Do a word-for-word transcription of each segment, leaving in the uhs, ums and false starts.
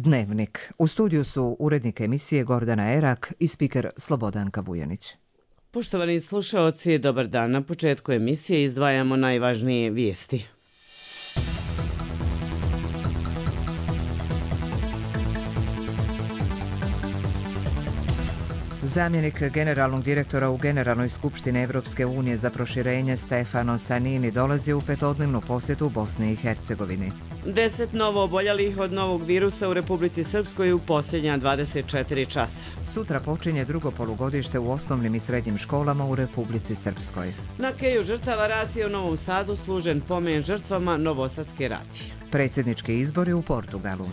Dnevnik. U studiju su urednik emisije Gordana Erak i spiker Slobodanka Vujanić. Poštovani slušaoci, dobar dan. Na početku emisije izdvajamo najvažnije vijesti. Zamjenik generalnog direktora u Generalnoj skupštini Evropske unije za proširenje Stefano Sannini dolazi u petodnevnu posjetu Bosni i Hercegovini. Deset novo oboljelih od novog virusa u Republici Srpskoj u posljednja dvadeset četiri časa. Sutra počinje drugo polugodište u osnovnim i srednjim školama u Republici Srpskoj. Na keju žrtava racije u Novom Sadu služen pomen žrtvama novosadske racije. Predsjednički izbori u Portugalu.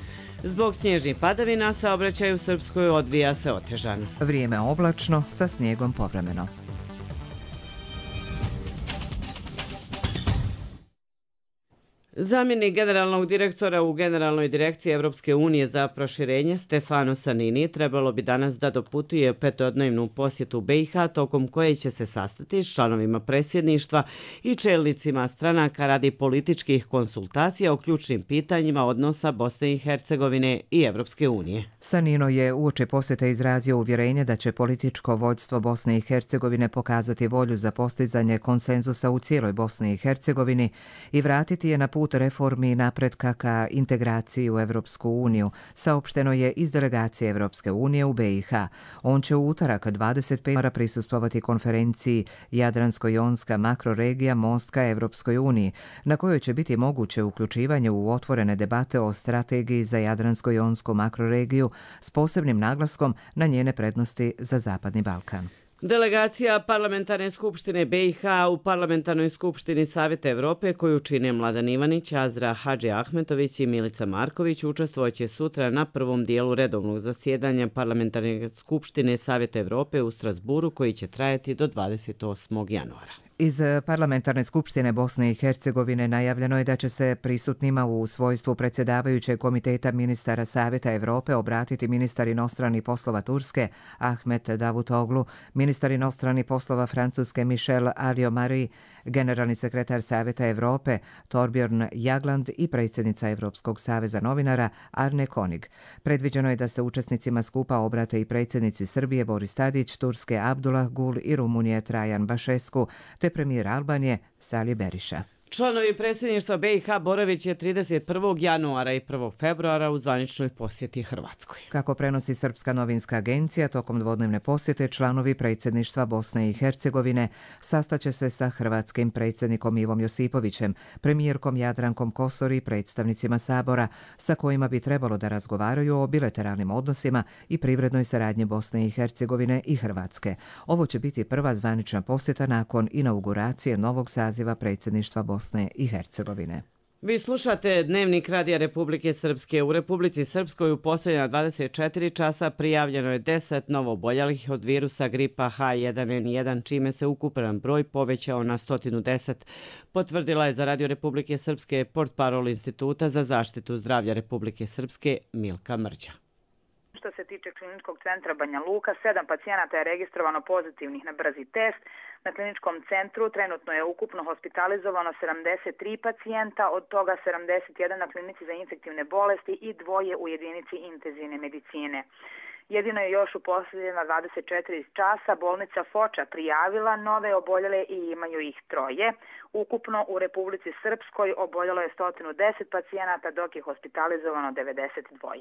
Zbog snježnih padavina saobraćaj u Srpskoj odvija se otežano. Vrijeme oblačno sa snijegom povremeno. Zamjenik generalnog direktora u Generalnoj direkciji Evropske unije za proširenje Stefano Sannini trebalo bi danas da doputuje petodnevnu posjetu B i H tokom koje će se sastati s članovima predsjedništva i čelnicima stranaka radi političkih konsultacija o ključnim pitanjima odnosa Bosne i Hercegovine i Evropske unije. Sannino je uoči posjete izrazio uvjerenje da će političko vođstvo Bosne i Hercegovine pokazati volju za postizanje konsenzusa u cijeloj Bosni i Hercegovini i vratiti je na put reformi i napretka ka integraciji u Evropsku uniju, saopšteno je iz delegacije Evropske unije u B i H. On će u utorak dvadeset petog prisustvovati konferenciji Jadransko-jonska makroregija most ka Evropskoj uniji, na kojoj će biti moguće uključivanje u otvorene debate o strategiji za Jadransko-jonsku makroregiju s posebnim naglaskom na njene prednosti za Zapadni Balkan. Delegacija Parlamentarne skupštine B i H u Parlamentarnoj skupštini Savjeta Evrope, koju čine Mladen Ivanić, Azra Hadži Ahmetović i Milica Marković, učestvovaće sutra na prvom dijelu redovnog zasjedanja Parlamentarne skupštine Savjeta Evrope u Strasburu, koji će trajati do dvadeset osmog januara. Iz Parlamentarne skupštine Bosne i Hercegovine najavljeno je da će se prisutnima u svojstvu predsjedavajućeg komiteta ministara Savjeta Evrope obratiti ministar inostranih poslova Turske Ahmet Davutoglu, ministar inostranih poslova Francuske Michel Alliot-Marie, generalni sekretar Savjeta Evrope Torbjörn Jagland i predsjednica Evropskog saveza novinara Arne Konig. Predviđeno je da se učesnicima skupa obrate i predsjednici Srbije Boris Tadić, Turske Abdullah Gul i Rumunije Trajan Bašescu, te premijer Albanije Sali Beriša. Članovi predsjedništva B i H boravit će trideset prvog januara i prvog februara u zvaničnoj posjeti Hrvatskoj. Kako prenosi Srpska novinska agencija, tokom dvodnevne posjete članovi predsjedništva Bosne i Hercegovine sastaće se sa hrvatskim predsjednikom Ivom Josipovićem, premijerkom Jadrankom Kosor i predstavnicima Sabora, sa kojima bi trebalo da razgovaraju o bilateralnim odnosima i privrednoj saradnji Bosne i Hercegovine i Hrvatske. Ovo će biti prva zvanična posjeta nakon inauguracije novog saziva predsjedništva Bosne i Hercegovine. Vi slušate Dnevnik Radija Republike Srpske. U Republici Srpskoj u posljednja dvadeset četiri časa prijavljeno je deset novooboljelih od virusa gripa H jedan N jedan, čime se ukupan broj povećao na sto deset. Potvrdila je za Radio Republike Srpske portparol Instituta za zaštitu zdravlja Republike Srpske Milka Mrđa. Što se tiče kliničkog centra Banja Luka, sedam pacijenata je registrovano pozitivnih na brzi test. Na kliničkom centru trenutno je ukupno hospitalizovano sedamdeset tri pacijenta, od toga sedamdeset jedan na klinici za infektivne bolesti i dvoje u jedinici intenzivne medicine. Jedino je još u posljednjih dvadeset četiri časa bolnica Foča prijavila nove oboljele i imaju ih troje. Ukupno u Republici Srpskoj oboljelo je sto deset pacijenata, dok je hospitalizovano devedeset dva.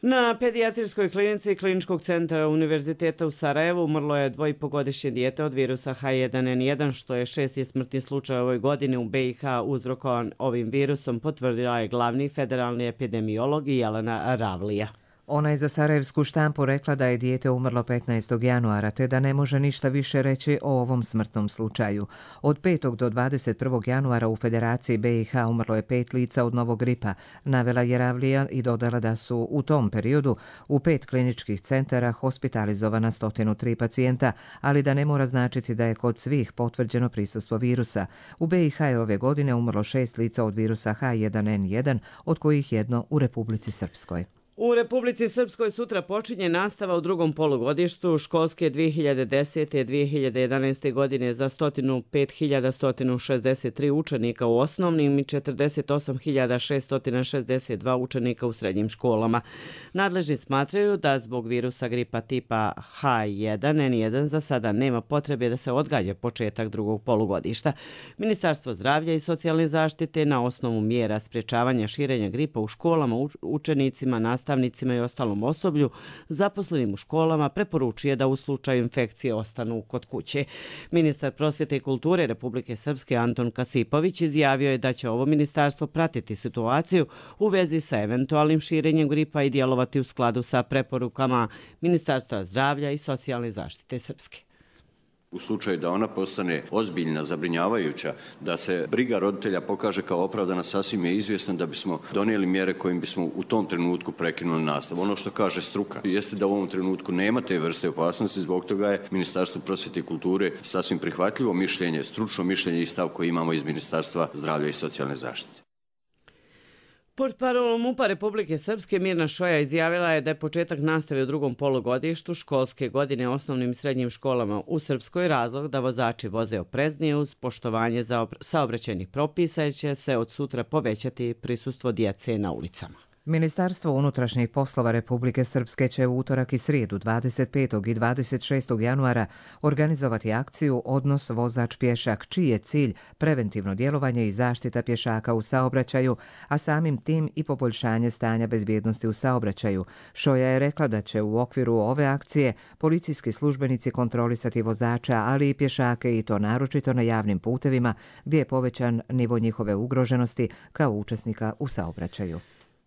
Na pedijatrijskoj klinici Kliničkog centra Univerziteta u Sarajevu umrlo je dvoipogodišnje dijete od virusa H jedan N jedan, što je šesti smrtni slučaj u ovoj godini u B i H uzrokovan ovim virusom, potvrdila je glavni federalni epidemiolog Jelena Ravlija. Ona je za sarajevsku štampu rekla da je dijete umrlo petnaestog januara, te da ne može ništa više reći o ovom smrtnom slučaju. Od petog do dvadeset prvog januara u Federaciji B i H umrlo je pet lica od novog gripa, navela je Ravlija i dodala da su u tom periodu u pet kliničkih centara hospitalizovana sto tri pacijenta, ali da ne mora značiti da je kod svih potvrđeno prisustvo virusa. U B i H je ove godine umrlo šest lica od virusa H jedan N jedan, od kojih jedno u Republici Srpskoj. U Republici Srpskoj sutra počinje nastava u drugom polugodištu školske dvije hiljade desete. dvije hiljade jedanaeste. godine za sto pet hiljada sto šezdeset tri učenika u osnovnim i četrdeset osam hiljada šesto šezdeset dva učenika u srednjim školama. Nadležni smatraju da zbog virusa gripa tipa H jedan N jedan za sada nema potrebe da se odgađa početak drugog polugodišta. Ministarstvo zdravlja i socijalne zaštite na osnovu mjera sprječavanja širenja gripa u školama učenicima, nastavnicima i ostalom osoblju zaposlenim u školama preporučuje da u slučaju infekcije ostanu kod kuće. Ministar prosvjete i kulture Republike Srpske Anton Kasipović izjavio je da će ovo ministarstvo pratiti situaciju u vezi sa eventualnim širenjem gripa i djelovati u skladu sa preporukama Ministarstva zdravlja i socijalne zaštite Srpske. U slučaju da ona postane ozbiljna, zabrinjavajuća, da se briga roditelja pokaže kao opravdana, sasvim je izvjesno da bismo donijeli mjere kojim bismo u tom trenutku prekinuli nastavu. Ono što kaže struka jeste da u ovom trenutku nema te vrste opasnosti, zbog toga je Ministarstvo prosvjete i kulture sasvim prihvatljivo mišljenje, stručno mišljenje i stav koji imamo iz Ministarstva zdravlja i socijalne zaštite. Portparol MUP-a Republike Srpske Mirna Šoja izjavila je da je početak nastave u drugom polugodištu školske godine osnovnim i srednjim školama u Srpskoj razlog da vozači voze opreznije uz poštovanje saobraćajnih propisa i će se od sutra povećati prisustvo djece na ulicama. Ministarstvo unutrašnjih poslova Republike Srpske će u utorak i srijedu dvadeset petog i dvadeset šestog januara organizovati akciju Odnos vozač-pješak, čiji je cilj preventivno djelovanje i zaštita pješaka u saobraćaju, a samim tim i poboljšanje stanja bezbjednosti u saobraćaju. Šoja je rekla da će u okviru ove akcije policijski službenici kontrolisati vozača, ali i pješake i to naročito na javnim putevima gdje je povećan nivo njihove ugroženosti kao učesnika u saobraćaju.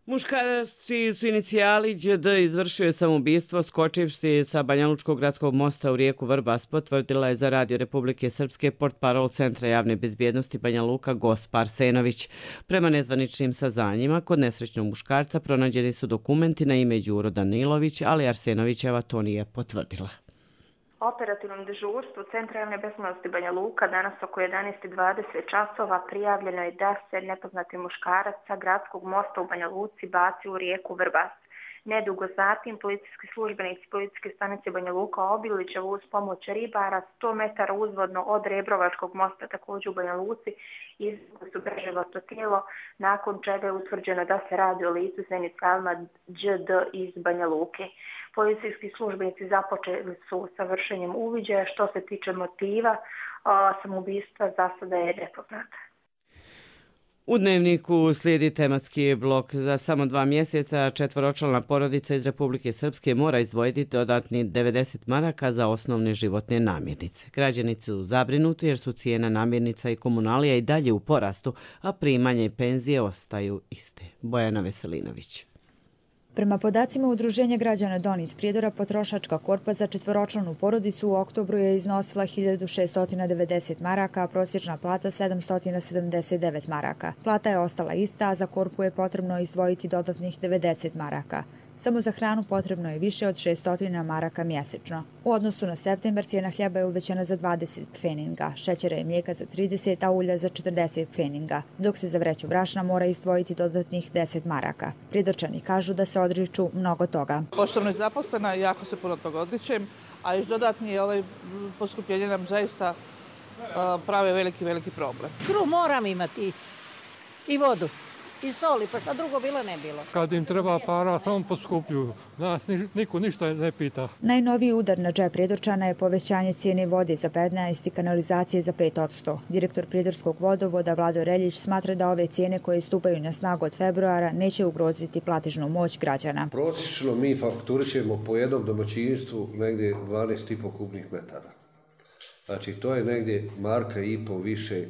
Muškarac čiji su inicijali Đ D izvršio je samoubistvo skočivši sa Banjalučkog gradskog mosta u rijeku Vrbas, potvrdila je za Radio Republike Srpske portparol Centra javne bezbjednosti Banja Luka Gospa Arsenović. Prema nezvaničnim saznanjima, kod nesrećnog muškarca pronađeni su dokumenti na ime Đuro Danilović, ali Arsenovićeva to nije potvrdila. Operativnom dežurstvu Centra javne bezbjednosti Banja Luka danas oko jedanaest i dvadeset časova prijavljeno je da se nepoznati muškarac sa gradskog mosta u Banja Luci bacio u rijeku Vrbas. Nedugo zatim policijski službenici policijske stanice Banja Luka Obilićevo uz pomoć ribara sto metara uzvodno od Rebrovačkog mosta također u Banja Luci izvukli su preživoto tijelo, nakon čega je utvrđeno da se radi o licu sa inicijalima Đ D iz Banja Luke. Policijski službenici započeli su sa vršenjem uviđaja. Što se tiče motiva samoubistva, za sada je nepoznata. U Dnevniku slijedi tematski blok. Za samo dva mjeseca četvoročlana porodica iz Republike Srpske mora izdvojiti dodatni devedeset maraka za osnovne životne namirnice. Građani su zabrinuti jer su cijena namirnica i komunalija i dalje u porastu, a primanje i penzije ostaju iste. Bojana Veselinović. Prema podacima Udruženja građana Don iz Prijedora, potrošačka korpa za četvoročlanu porodicu u oktobru je iznosila hiljadu šesto devedeset maraka, a prosječna plata sedamsto sedamdeset devet maraka. Plata je ostala ista, a za korpu je potrebno izdvojiti dodatnih devedeset maraka. Samo za hranu potrebno je više od šesto maraka mjesečno. U odnosu na septembar cijena hljeba je uvećana za dvadeset pfeninga, šećera i mlijeka za trideset, a ulja za četrdeset pfeninga, dok se za vreću brašna mora izdvojiti dodatnih deset maraka. Prijedorčani kažu da se odriču mnogo toga. Pošto sam nezaposlena, jako se puno toga odričem, a još dodatni ovaj poskupljenje nam zaista uh, prave veliki, veliki problem. Kruh moram imati i vodu. I soli, pa šta drugo bilo ne bilo. Kad im treba para, samo poskupljuju. Nas niko ništa ne pita. Najnoviji udar na džep Prijedorčana je povećanje cijene vode za petnaest i kanalizacije za pet posto. Direktor Prijedorskog vodovoda Vlado Reljić smatra da ove cijene koje stupaju na snagu od februara neće ugroziti platežnu moć građana. Prosječno mi fakturićemo po jednom domaćinstvu negdje dvanaest i po kubnih metara. Znači to je negdje marka i po više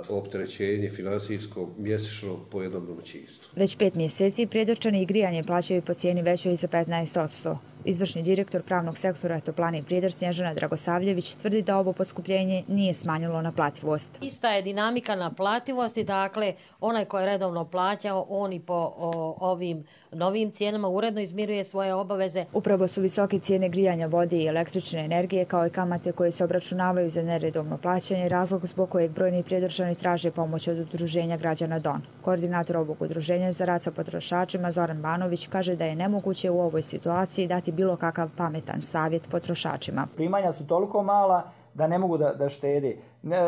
opterećenje finansijsko mjesečno po jednom domaćinstvu. Već pet mjeseci Prijedorčani i grijanje plaćaju po cijeni većoj za petnaest posto. Izvršni direktor pravnog sektora Toplane i Prijedor Snježana Dragosavljević tvrdi da ovo poskupljenje nije smanjilo naplativost. Ista je dinamika naplativosti, dakle onaj ko je redovno plaćao, on i po o, ovim novim cijenama uredno izmiruje svoje obaveze. Upravo su visoke cijene grijanja vode i električne energije kao i kamate koje se obračunavaju za neredovno plaćanje razlog zbog kojeg brojni Prijedorčani traže pomoć od Udruženja građana D O N. Koordinator ovog udruženja za rad sa potrošačima Zoran Banović kaže da je nemoguće u ovoj situaciji dati bilo kakav pametan savjet potrošačima. Primanja su toliko mala da ne mogu da, da štede.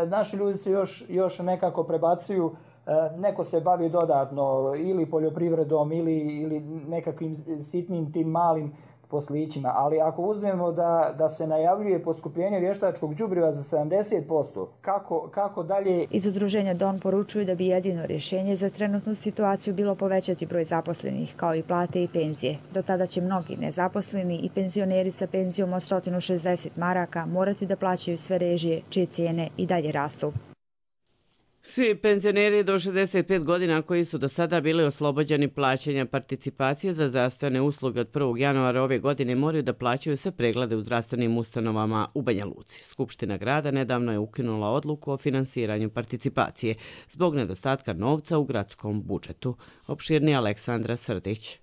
Naši ljudi se još, još nekako prebacuju, neko se bavi dodatno ili poljoprivredom ili, ili nekakvim sitnim tim malim poslićima, ali ako uzmemo da, da se najavljuje poskupljenje vještačkog đubriva za sedamdeset posto, kako, kako dalje? Iz udruženja D O N poručuju da bi jedino rješenje za trenutnu situaciju bilo povećati broj zaposlenih, kao i plate i penzije. Do tada će mnogi nezaposleni i penzioneri sa penzijom od sto šezdeset maraka morati da plaćaju sve režije, čije cijene i dalje rastu. Svi penzioneri do šezdeset pet godina koji su do sada bili oslobođeni plaćanja participacije za zdravstvene usluge od prvog januara ove godine moraju da plaćaju sve preglede u zdravstvenim ustanovama u Banja Luci. Skupština grada nedavno je ukinula odluku o finansiranju participacije zbog nedostatka novca u gradskom budžetu. Opširni Aleksandra Srdić.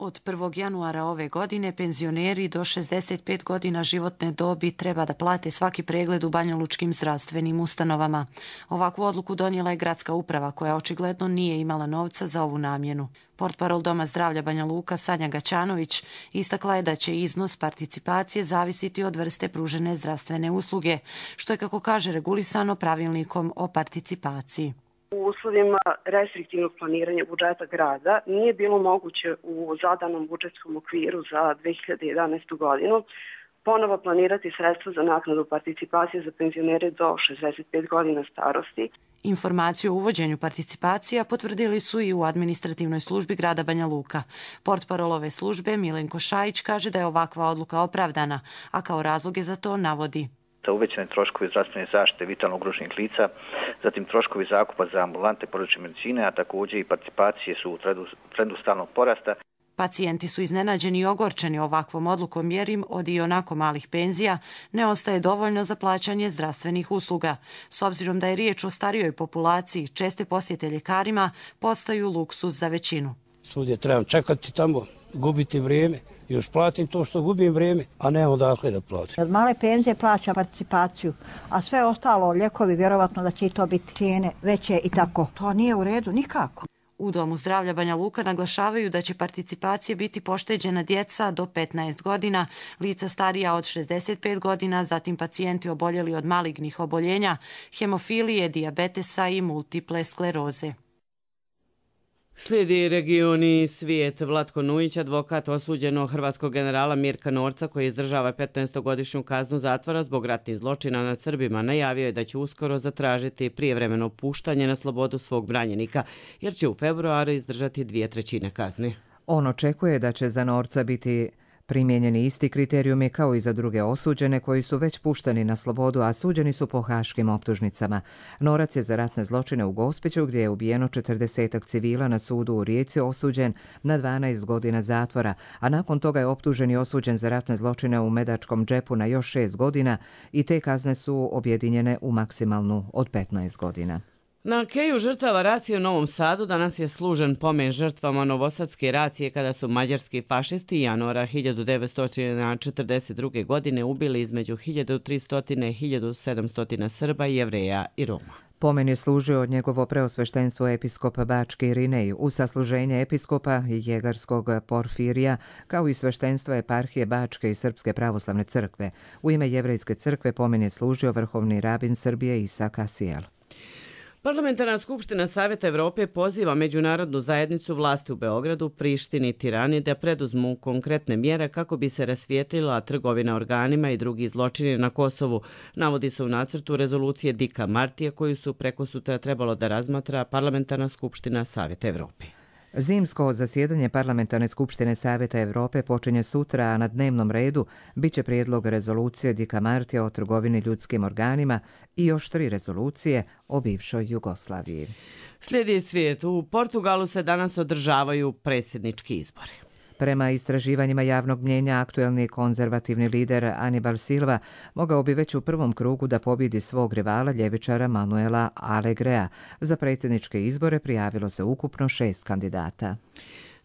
Od prvog januara ove godine penzioneri do šezdeset pet godina životne dobi treba da plate svaki pregled u banjalučkim zdravstvenim ustanovama. Ovakvu odluku donijela je gradska uprava koja očigledno nije imala novca za ovu namjenu. Portparol Doma zdravlja Banja Luka Sanja Gaćanović istakla je da će iznos participacije zavisiti od vrste pružene zdravstvene usluge, što je, kako kaže, regulisano pravilnikom o participaciji. U uslovima restriktivnog planiranja budžeta grada nije bilo moguće u zadanom budžetskom okviru za dve hiljade jedanaestu godinu ponovo planirati sredstva za naknadu participacije za penzionere do šezdeset pet godina starosti. Informaciju o uvođenju participacija potvrdili su i u administrativnoj službi grada Banja Luka. Portparol ove službe Milenko Šajić kaže da je ovakva odluka opravdana, a kao razloge za to navodi uvećane troškovi zdravstvene zaštite vitalno ugroženih lica, zatim troškovi zakupa za ambulante porodične medicine, a također i participacije su u trendu, trendu stalnog porasta. Pacijenti su iznenađeni i ogorčeni ovakvom odlukom jer im od i onako malih penzija ne ostaje dovoljno za plaćanje zdravstvenih usluga. S obzirom da je riječ o starijoj populaciji, česte posjete ljekarima postaju luksuz za većinu. Svudje trebam čekati tamo, gubiti vrijeme, još platim to što gubim vrijeme, a ne odakle da platim. Od male penzije plaćam participaciju, a sve ostalo, ljekovi, vjerovatno da će i to biti cijene veće i tako. To nije u redu nikako. U Domu zdravlja Banja Luka naglašavaju da će participacije biti pošteđena djeca do petnaest godina, lica starija od šezdeset pet godina, zatim pacijenti oboljeli od malignih oboljenja, hemofilije, dijabetesa i multiple skleroze. Slijedi regioni svijet. Vlatko Nujić, advokat osuđenog hrvatskog generala Mirka Norca, koji izdržava petnaestogodišnju kaznu zatvora zbog ratnih zločina nad Srbima, najavio je da će uskoro zatražiti prijevremeno puštanje na slobodu svog branjenika, jer će u februaru izdržati dvije trećine kazne. On očekuje da će za Norca biti primijenjeni isti kriterijumi kao i za druge osuđene koji su već pušteni na slobodu, a suđeni su po haškim optužnicama. Norac je za ratne zločine u Gospiću, gdje je ubijeno četrdesetak civila, na sudu u Rijeci osuđen na dvanaest godina zatvora, a nakon toga je optužen i osuđen za ratne zločine u Medačkom džepu na još šest godina i te kazne su objedinjene u maksimalnu od petnaest godina. Na keju žrtava racije u Novom Sadu danas je služen pomen žrtvama novosadske racije kada su mađarski fašisti januara hiljadu devetsto četrdeset druge. godine ubili između hiljadu tristo i hiljadu sedamsto Srba, Jevreja i Roma. Pomen je služio od njegovo preosveštenstvo episkopa Bačke Irinej u sasluženje episkopa i jegarskog Porfirija, kao i sveštenstva eparhije Bačke i Srpske pravoslavne crkve. U ime Jevrejske crkve pomen je služio vrhovni rabin Srbije Isak Asijel. Parlamentarna skupština Savjeta Evrope poziva međunarodnu zajednicu, vlasti u Beogradu, Prištini i Tirani da preduzmu konkretne mjere kako bi se rasvijetlila trgovina organima i drugi zločini na Kosovu, navodi se u nacrtu rezolucije Dika Martija koju su preko sutra trebalo da razmatra Parlamentarna skupština Savjeta Evrope. Zimsko zasjedanje Parlamentarne skupštine Savjeta Evrope počinje sutra, a na dnevnom redu biće prijedlog rezolucije Dika Martija o trgovini ljudskim organima i još tri rezolucije o bivšoj Jugoslaviji. Slijedi svijet. U Portugalu se danas održavaju predsjednički izbori. Prema istraživanjima javnog mnjenja, aktuelni konzervativni lider Anibal Silva mogao bi već u prvom krugu da pobjedi svog rivala ljevičara Manuela Alegrea. Za predsjedničke izbore prijavilo se ukupno šest kandidata.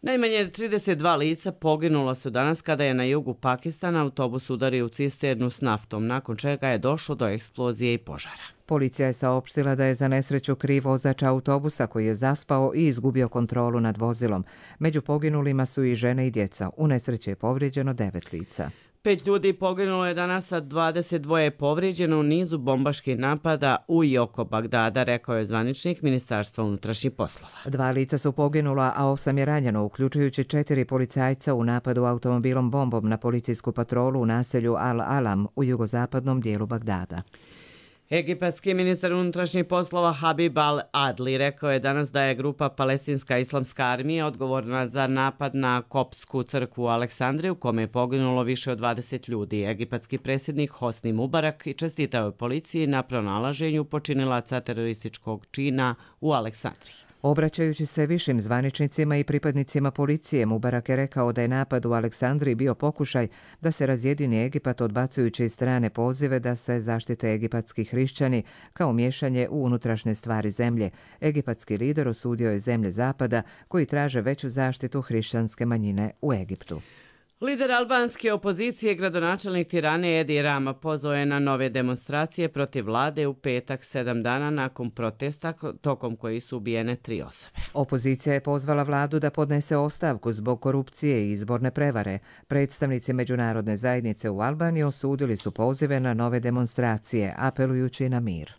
Najmanje trideset dva lica poginulo su danas kada je na jugu Pakistana autobus udario u cisternu s naftom, nakon čega je došlo do eksplozije i požara. Policija je saopštila da je za nesreću kriv vozač autobusa koji je zaspao i izgubio kontrolu nad vozilom. Među poginulima su i žene i djeca. U nesreći je povrijeđeno devet lica. Pet ljudi poginulo je danas, a dvadeset dva je povrijeđeno u nizu bombaških napada u i oko Bagdada, rekao je zvaničnik Ministarstva unutrašnjih poslova. Dva lica su poginula, a osam je ranjeno, uključujući četiri policajca u napadu automobilom bombom na policijsku patrolu u naselju Al-Alam u jugozapadnom dijelu Bagdada. Egipatski ministar unutrašnjih poslova Habib al-Adli rekao je danas da je grupa Palestinska islamska armija odgovorna za napad na koptsku crkvu u Aleksandriji u kome je poginulo više od dvadeset ljudi. Egipatski predsjednik Hosni Mubarak i čestitao je policiji na pronalaženju počinilaca terorističkog čina u Aleksandriji. Obraćajući se višim zvaničnicima i pripadnicima policije, Mubarak je rekao da je napad u Aleksandriji bio pokušaj da se razjedini Egipat odbacujući strane pozive da se zaštite egipatski hrišćani kao miješanje u unutrašnje stvari zemlje. Egipatski lider osudio je zemlje Zapada koji traže veću zaštitu hrišćanske manjine u Egiptu. Lider albanske opozicije, gradonačelnik Tirane Edi Rama, pozvao je na nove demonstracije protiv vlade u petak, sedam dana nakon protesta tokom koji su ubijene tri osobe. Opozicija je pozvala vladu da podnese ostavku zbog korupcije i izborne prevare. Predstavnici međunarodne zajednice u Albaniji osudili su pozive na nove demonstracije, apelujući na mir.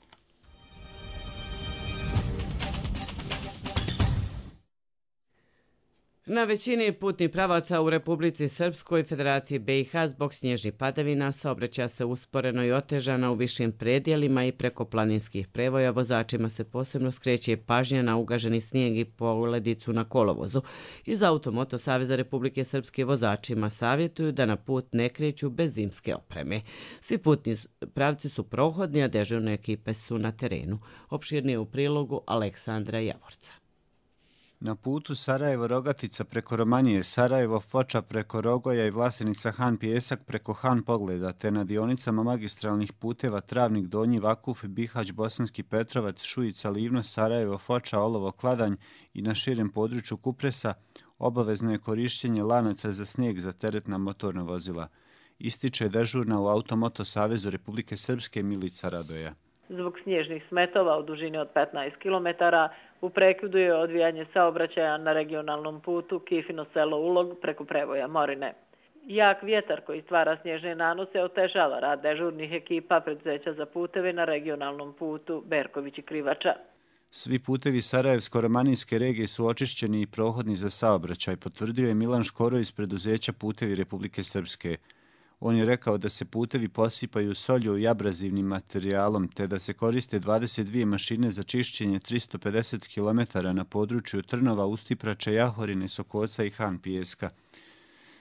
Na većini putnih pravaca u Republici Srpskoj i Federaciji B i H zbog snježnih padavina saobraćaj se usporeno i otežano u višim predjelima i preko planinskih prevoja. Vozačima se posebno skreće pažnja na ugaženi snijeg i poledicu na kolovozu. Iz Automoto Saveza Republike Srpske vozačima savjetuju da na put ne kreću bez zimske opreme. Svi putni pravci su prohodni, a dežurne ekipe su na terenu. Opširnije u prilogu Aleksandra Javorca. Na putu Sarajevo-Rogatica preko Romanije, Sarajevo-Foča preko Rogoja i Vlasenica-Han Pijesak preko Han Pogleda, te na dionicama magistralnih puteva Travnik, Donji, Vakuf, Bihać, Bosanski Petrovac, Šujica, Livno, Sarajevo-Foča, Olovo, Kladanj i na širem području Kupresa obavezno je korištenje lanaca za snijeg za teretna motorna vozila. Ističe dežurna u Automoto Savezu Republike Srpske Milica Radoja. Zbog snježnih smetova u dužini od petnaest kilometara u prekidu je odvijanje saobraćaja na regionalnom putu Kifino selo Ulog preko prevoja Morine. Jak vjetar koji stvara snježne nanose otežava rad dežurnih ekipa preduzeća za puteve na regionalnom putu Berković i Krivača. Svi putevi Sarajevsko-romanijske regije su očišćeni i prohodni za saobraćaj, potvrdio je Milan Škoro iz preduzeća Putevi Republike Srpske. On je rekao da se putevi posipaju solju i abrazivnim materijalom, te da se koriste dvadeset dvije mašine za čišćenje tristo pedeset kilometara na području Trnova, Ustiprača, Jahorine, Sokoca i Han Pijeska.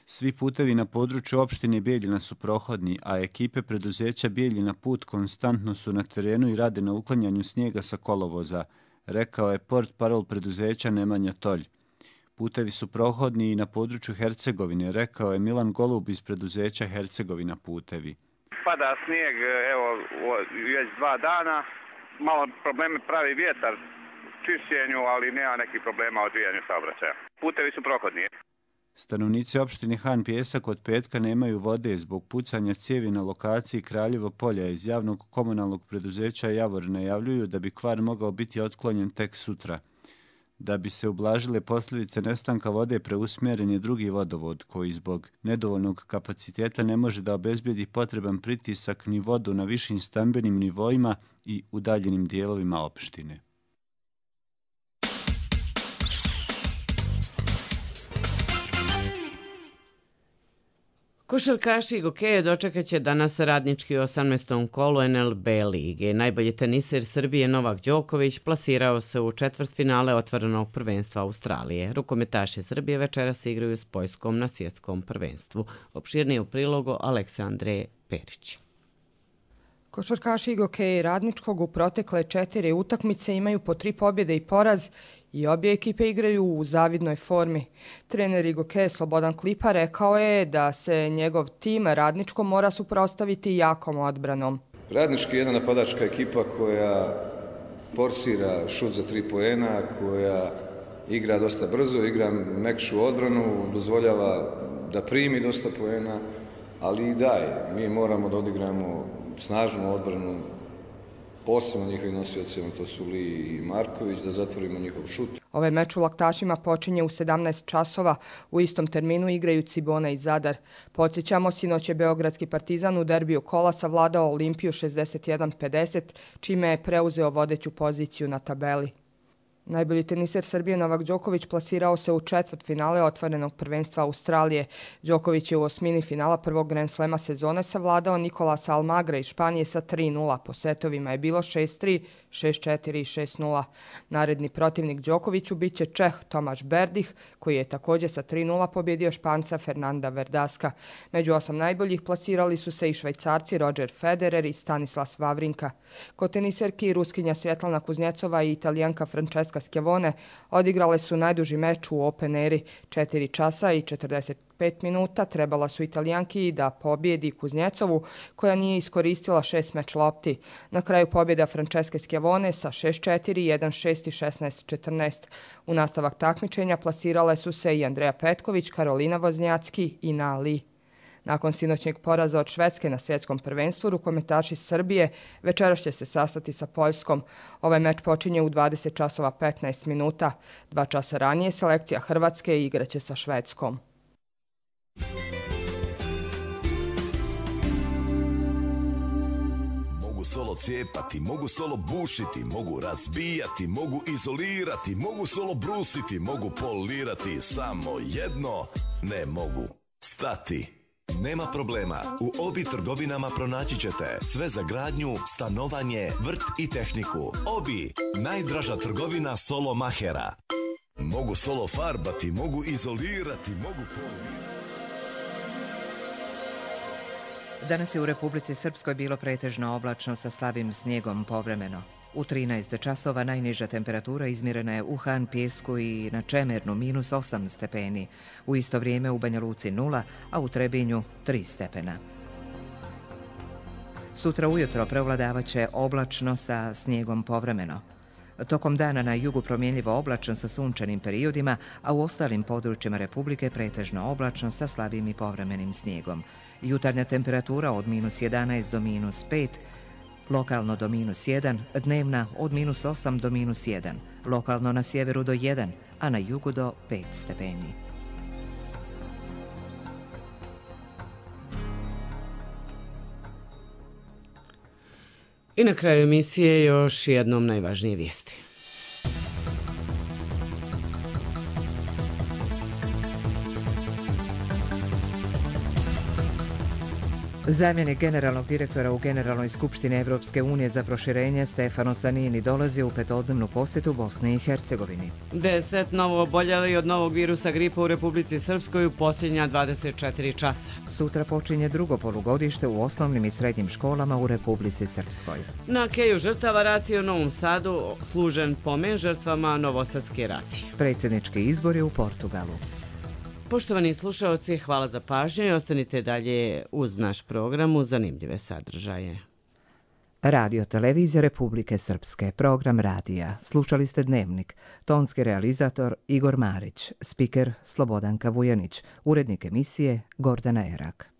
Svi putevi na području opštine Bijeljina su prohodni, a ekipe preduzeća Bijeljina put konstantno su na terenu i rade na uklanjanju snijega sa kolovoza, rekao je portparol preduzeća Nemanja Tolj. Putevi su prohodni i na području Hercegovine, rekao je Milan Golub iz preduzeća Hercegovina putevi. Pada snijeg, evo, već dva dana. Malo probleme pravi vjetar u čišćenju, ali nema nekih problema u odvijanju saobraćaja. Putevi su prohodni. Stanovnici opštine Han Pijesak od petka nemaju vode zbog pucanja cijevi na lokaciji Kraljevo polja. Iz javnog komunalnog preduzeća Javor najavljuju da bi kvar mogao biti otklonjen tek sutra. Da bi se ublažile posljedice nestanka vode, preusmjeren je drugi vodovod koji zbog nedovoljnog kapaciteta ne može da obezbijedi potreban pritisak ni vodu na višim stambenim nivoima i udaljenim dijelovima opštine. Košarkaši Gokeje dočekat će danas radnički u osamnaestom kolu N L B lige. Najbolji teniser Srbije Novak Đoković plasirao se u četvrtfinale otvorenog prvenstva Australije. Rukometaši Srbije večeras igraju s Poljskom na svjetskom prvenstvu. Opširnije u prilogu Aleksandre Perić. Košarkaši Gokeje Radničkog u protekle četiri utakmice imaju po tri pobjede i poraz I obje ekipe igraju u zavidnoj formi. Trener Igoke Slobodan Klipa rekao je da se njegov tim Radničko mora suprotstaviti jakom odbranom. Radnički je jedna napadačka ekipa koja forsira šut za tri poena, koja igra dosta brzo, igra mekšu odbranu, dozvoljava da primi dosta poena, ali i daje. Mi moramo da odigramo snažnu odbranu, posebno njihovim nosiocima, to su Li i Marković, da zatvorimo njihov šut. Ovaj meč u Laktašima počinje u sedamnaest časova. U istom terminu igraju Cibona i Zadar. Podsjećamo, sinoć je Beogradski Partizan u derbiju kola savladao Olimpiju šezdeset jedan pedeset, čime je preuzeo vodeću poziciju na tabeli. Najbolji teniser Srbije Novak Đoković plasirao se u četvrt finale otvorenog prvenstva Australije. Đoković je u osmini finala prvog Grand Slema sezone savladao Nikolasa Almagra iz Španije sa tri nula. Po setovima je bilo šest tri, šest četiri i šest nula. Naredni protivnik Đokoviću bit će Čeh Tomaš Berdih, koji je također sa tri nula pobjedio Španca Fernanda Verdaska. Među osam najboljih plasirali su se i Švajcarci Roger Federer i Stanislas Wawrinka. Kod teniserki Ruskinja Svjetlana Kuznjecova i Italijanka Francesca Schiavone odigrale su najduži meč u Open eri, četiri časa i četrdeset pet minuta. Trebala su Italijanki da pobjedi Kuznjecovu, koja nije iskoristila šest meč lopti. Na kraju pobjeda Franceske Schiavone sa šest četiri, jedan šest i šesnaest četrnaest. U nastavak takmičenja plasirale su se i Andreja Petković, Karolina Voznjacki i Na Li. Nakon sinoćnjeg poraza od Švedske na svjetskom prvenstvu, rukometaši Srbije večeras će se sastati sa Poljskom. Ovaj meč počinje u dvadeset časova petnaest minuta. Dva časa ranije selekcija Hrvatske igraće sa Švedskom. Mogu solo cijepati, mogu solo bušiti, mogu razbijati, mogu izolirati, mogu solo brusiti, mogu polirati, samo jedno ne mogu stati. Nema problema, u Obi trgovinama pronaći ćete sve za gradnju, stanovanje, vrt i tehniku. Obi, najdraža trgovina solo mahera. Mogu solo farbati, mogu izolirati, mogu polirati. Danas je u Republici Srpskoj bilo pretežno oblačno sa slabim snijegom povremeno. U trinaest časova najniža temperatura izmjerena je u Han Pjesku i na Čemernu minus osam stepeni. U isto vrijeme u Banja Luci nula, a u Trebinju tri stepena. Sutra ujutro prevladavaće oblačno sa snijegom povremeno. Tokom dana na jugu promjenljivo oblačno sa sunčanim periodima, a u ostalim područjima Republike pretežno oblačno sa slabim i povremenim snijegom. Jutarnja temperatura od minus jedanaest do minus pet, lokalno do minus jedan, dnevna od minus osam do minus jedan, lokalno na sjeveru do jedan, a na jugu do pet stepeni. I na kraju emisije još jednom najvažnije vijesti. Zamjenik generalnog direktora u Generalnoj skupštini Evropske unije za proširenje Stefano Sanini dolazi u petodnevnu posjetu Bosni i Hercegovini. Deset novo oboljeli od novog virusa gripa u Republici Srpskoj u posljednja dvadeset četiri časa. Sutra počinje drugo polugodište u osnovnim i srednjim školama u Republici Srpskoj. Na keju žrtava racije u Novom Sadu služen pomen žrtvama novosadske racije. Predsjednički izbori u Portugalu. Poštovani slušalci, hvala za pažnju i ostanite dalje uz naš program uz zanimljive sadržaje. Radio Televizija Republike Srpske, program radija. Slušali ste Dnevnik. Tonski realizator Igor Marić, spiker Slobodanka Vujanić, urednik emisije Gordana Erak.